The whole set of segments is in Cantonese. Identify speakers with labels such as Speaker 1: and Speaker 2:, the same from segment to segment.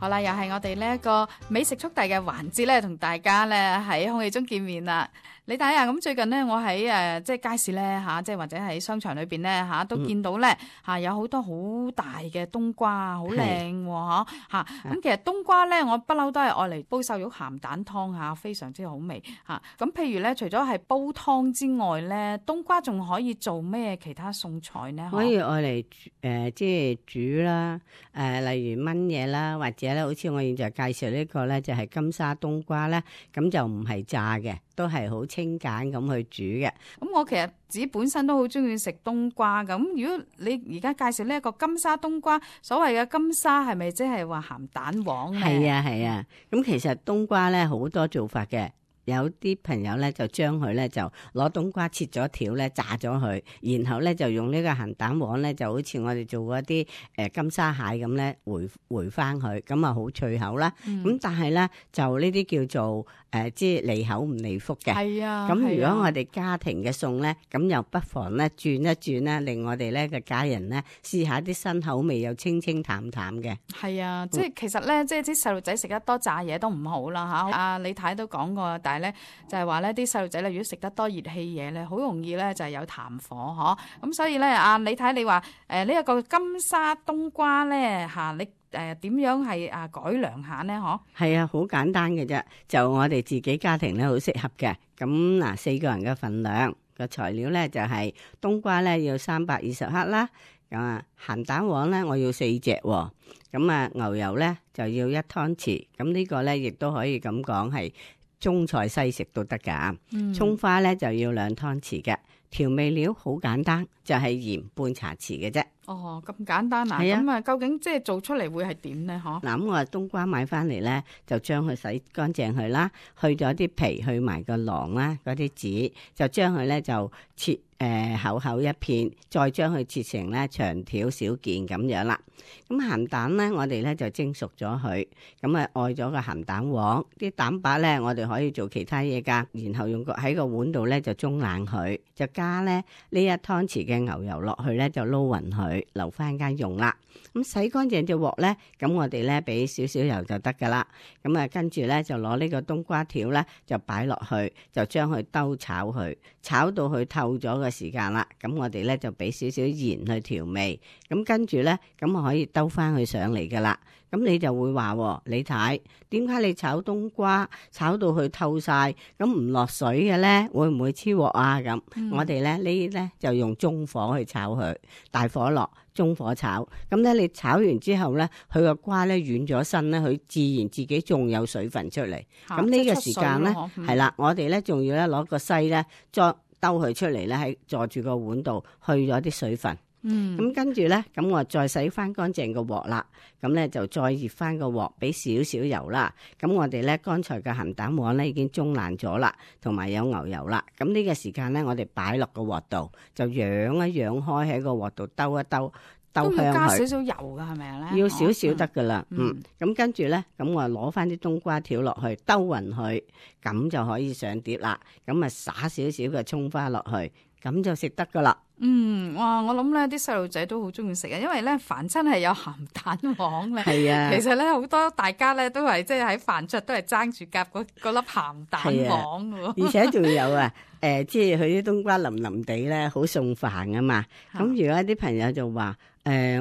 Speaker 1: 好啦，又係我哋呢一個美食速遞嘅環節咧，同大家咧喺空氣中見面啦。你睇下，咁最近咧，我喺即係街市咧嚇，即係或者喺商場裏邊咧嚇，都見到咧嚇有好多好大嘅冬瓜，好靚喎嚇。咁其實冬瓜咧，我不嬲都係愛嚟煲瘦肉鹹蛋湯嚇，非常之好味嚇。咁譬如咧，除咗係煲湯之外咧，冬瓜仲可以做咩其他餸菜呢？
Speaker 2: 可以愛嚟即係煮啦，例如燜嘢啦，或者咧，好似我現在介紹呢個咧，就係金沙冬瓜咧，咁就唔係炸嘅，都係好清簡咁去煮嘅。
Speaker 1: 咁我其實自己本身都好中意食冬瓜咁。如果你而家介紹呢一個金沙冬瓜，所謂嘅金沙係咪即係話鹹蛋黃咧？
Speaker 2: 係啊係啊，咁其實冬瓜咧好多做法嘅。有啲朋友咧就將佢咧就攞冬瓜切咗條咧炸咗佢，然後咧就用呢個鹹蛋黃咧就好似我哋做嗰啲金沙蟹咁咧回翻佢，咁啊好脆口啦。咁但係咧就呢啲叫做即係利口唔利福嘅。係啊。咁如果我哋家庭嘅餸咧，咁又不妨咧轉一轉啦，令我哋咧嘅家人咧試下啲新口味又清清淡淡嘅。係啊，
Speaker 1: 即係其實咧，即係啲細路仔食得多炸嘢都唔好啦嚇。阿李太都講過，但係咧就係話咧啲細路仔咧，如果食得多熱氣嘢咧，好容易咧就係有痰火嗬。咁所以咧，阿李太你話呢一個金沙冬瓜咧嚇，你點樣係改良下呢？嗬？係啊，
Speaker 2: 好簡單嘅啫，就我哋自己家庭咧好適合嘅。咁嗱，4個人嘅份量個材料咧就係冬瓜咧要320克啦。咁啊，鹹蛋黃咧我要4隻喎。咁啊，牛油咧就要1湯匙。咁呢個咧亦都可以咁講係中菜西食都得噶。蔥花咧就要2湯匙嘅。調味料好簡單，就係鹽半茶匙嘅啫。
Speaker 1: 哦，咁簡單啊！咁啊，究竟即係做出嚟會係點咧？嗬？
Speaker 2: 嗱，咁我冬瓜買翻嚟咧，就將佢洗乾淨佢啦，去咗啲皮，去埋個囊啦，嗰啲籽，就將佢咧就切厚厚一片，再將佢切成咧長條小件咁樣啦。咁鹹蛋咧，我哋咧就蒸熟咗佢，咁啊愛咗個鹹蛋黃，啲蛋白咧我哋可以做其他嘢噶，然後用喺個碗度咧就中冷佢，就加咧呢1湯匙嘅牛油落去咧就撈勻佢，留翻間用啦。咁洗乾淨隻鑊咧，咁我哋咧俾少少油就得噶啦。咁啊跟住咧就攞呢個冬瓜條咧就擺落去，就將佢兜炒佢，炒到佢透咗嘅時間啦。咁我哋咧就俾少少鹽去調味。咁跟住咧，咁我可以兜翻佢上嚟噶啦。咁你就會話，你睇點解你炒冬瓜炒到佢透晒，咁唔落水嘅咧，會唔會黐鑊啊？咁我哋咧呢咧就用中火去炒佢，大火落，中火炒。咁咧你炒完之後咧，佢個瓜咧軟咗身咧，佢自然自己仲有水分出嚟。咁呢個時間咧係啦，我哋咧仲要咧攞個篩咧再兜佢出嚟咧，喺坐住個碗度去咗啲水分。咁跟住咧，咁我再洗翻乾淨個鑊啦，咁咧就再熱翻個鑊，俾少少油啦。咁我哋咧剛才嘅鹹蛋黃咧已經中爛咗啦，同埋有牛油啦。咁呢個時間咧，我哋擺落個鑊度，就揚一揚開喺個鑊度兜一兜，兜香佢。都要加少少油噶，係咪咧？要少少得噶啦。咁跟住咧，咁我攞翻啲冬瓜條落去，兜勻佢，咁就可以上碟啦。咁啊撒少少嘅蔥花落去，咁就食得噶啦。
Speaker 1: 哇！我諗咧啲細路仔都好中意食啊，因為咧凡親係有鹹蛋黃咧。係啊，其實咧好多大家咧都係即係喺飯桌都係爭住夾嗰粒鹹蛋黃喎。而且仲有啊，即係佢啲冬瓜腍腍地咧，好送飯啊嘛。咁如果啲朋友就話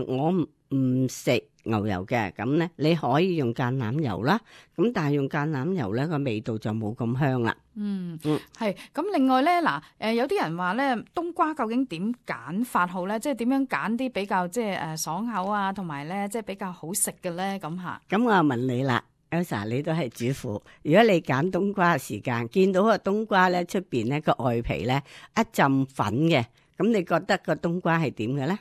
Speaker 1: 我唔食牛油嘅，咁咧你可以用橄欖油啦。咁但係用橄欖油咧個味道就冇咁香啦。係。咁另外咧嗱，有啲人話咧冬瓜究竟點揀法好咧？即係點樣揀啲比較即係爽口啊，同埋咧即係比較好食嘅咧咁嚇。咁我問你啦，Elsa，你都係主婦，如果你揀冬瓜嘅時間，見到個冬瓜咧出邊咧個外皮咧一浸粉嘅，咁你覺得個冬瓜係點嘅咧？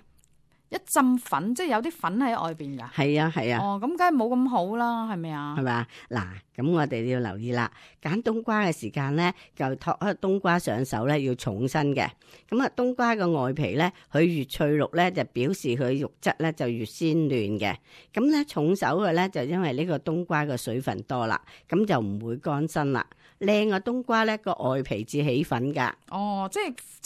Speaker 1: 一浸粉，即係有啲粉喺外邊噶。係啊係啊。哦，咁梗係冇咁好啦，係咪啊？係咪？嗱，咁我哋要留意啦。揀冬瓜嘅時間咧，就托開冬瓜上手咧，要重身嘅。咁啊，冬瓜個外皮咧，佢越脆綠咧，就表示佢肉質咧就越鮮嫩嘅。咁咧重手嘅咧，就因為呢個冬瓜嘅水分多啦，咁就唔會乾身啦。靚嘅冬瓜咧，個外皮至起粉噶。哦，即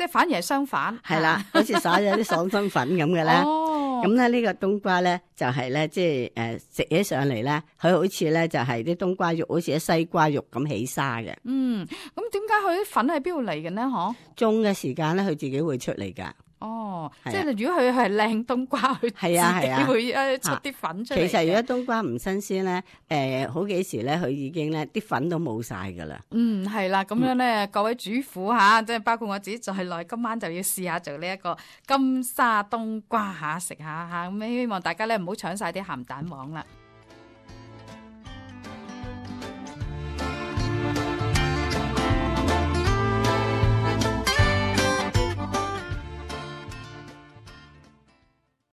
Speaker 1: 係反而係相反。係啦，好似撒咗啲爽身粉咁嘅咧。哦，
Speaker 2: 咁咧呢個冬瓜咧就係咧即係食起上嚟咧，佢好似咧就係啲冬瓜肉好似啲西瓜肉咁起沙嘅。
Speaker 1: 嗯，咁點解佢啲粉喺邊度嚟嘅呢？嗬，
Speaker 2: 種嘅時間咧，佢自己會出嚟噶。
Speaker 1: 哦，
Speaker 2: 係啊
Speaker 1: 即係如果佢係靚冬瓜，佢
Speaker 2: 係啊係啊
Speaker 1: 自己會出啲粉出嚟嘅。
Speaker 2: 其實如果冬瓜唔新鮮咧，好幾時咧佢已經咧啲粉都冇晒噶啦。
Speaker 1: 嗯，係啦，咁樣咧，各位主婦吓，即係包括我自己在內，今晚就要試下做呢一個金沙冬瓜吓，食下吓，咁希望大家咧唔好搶晒啲鹹蛋黃啦。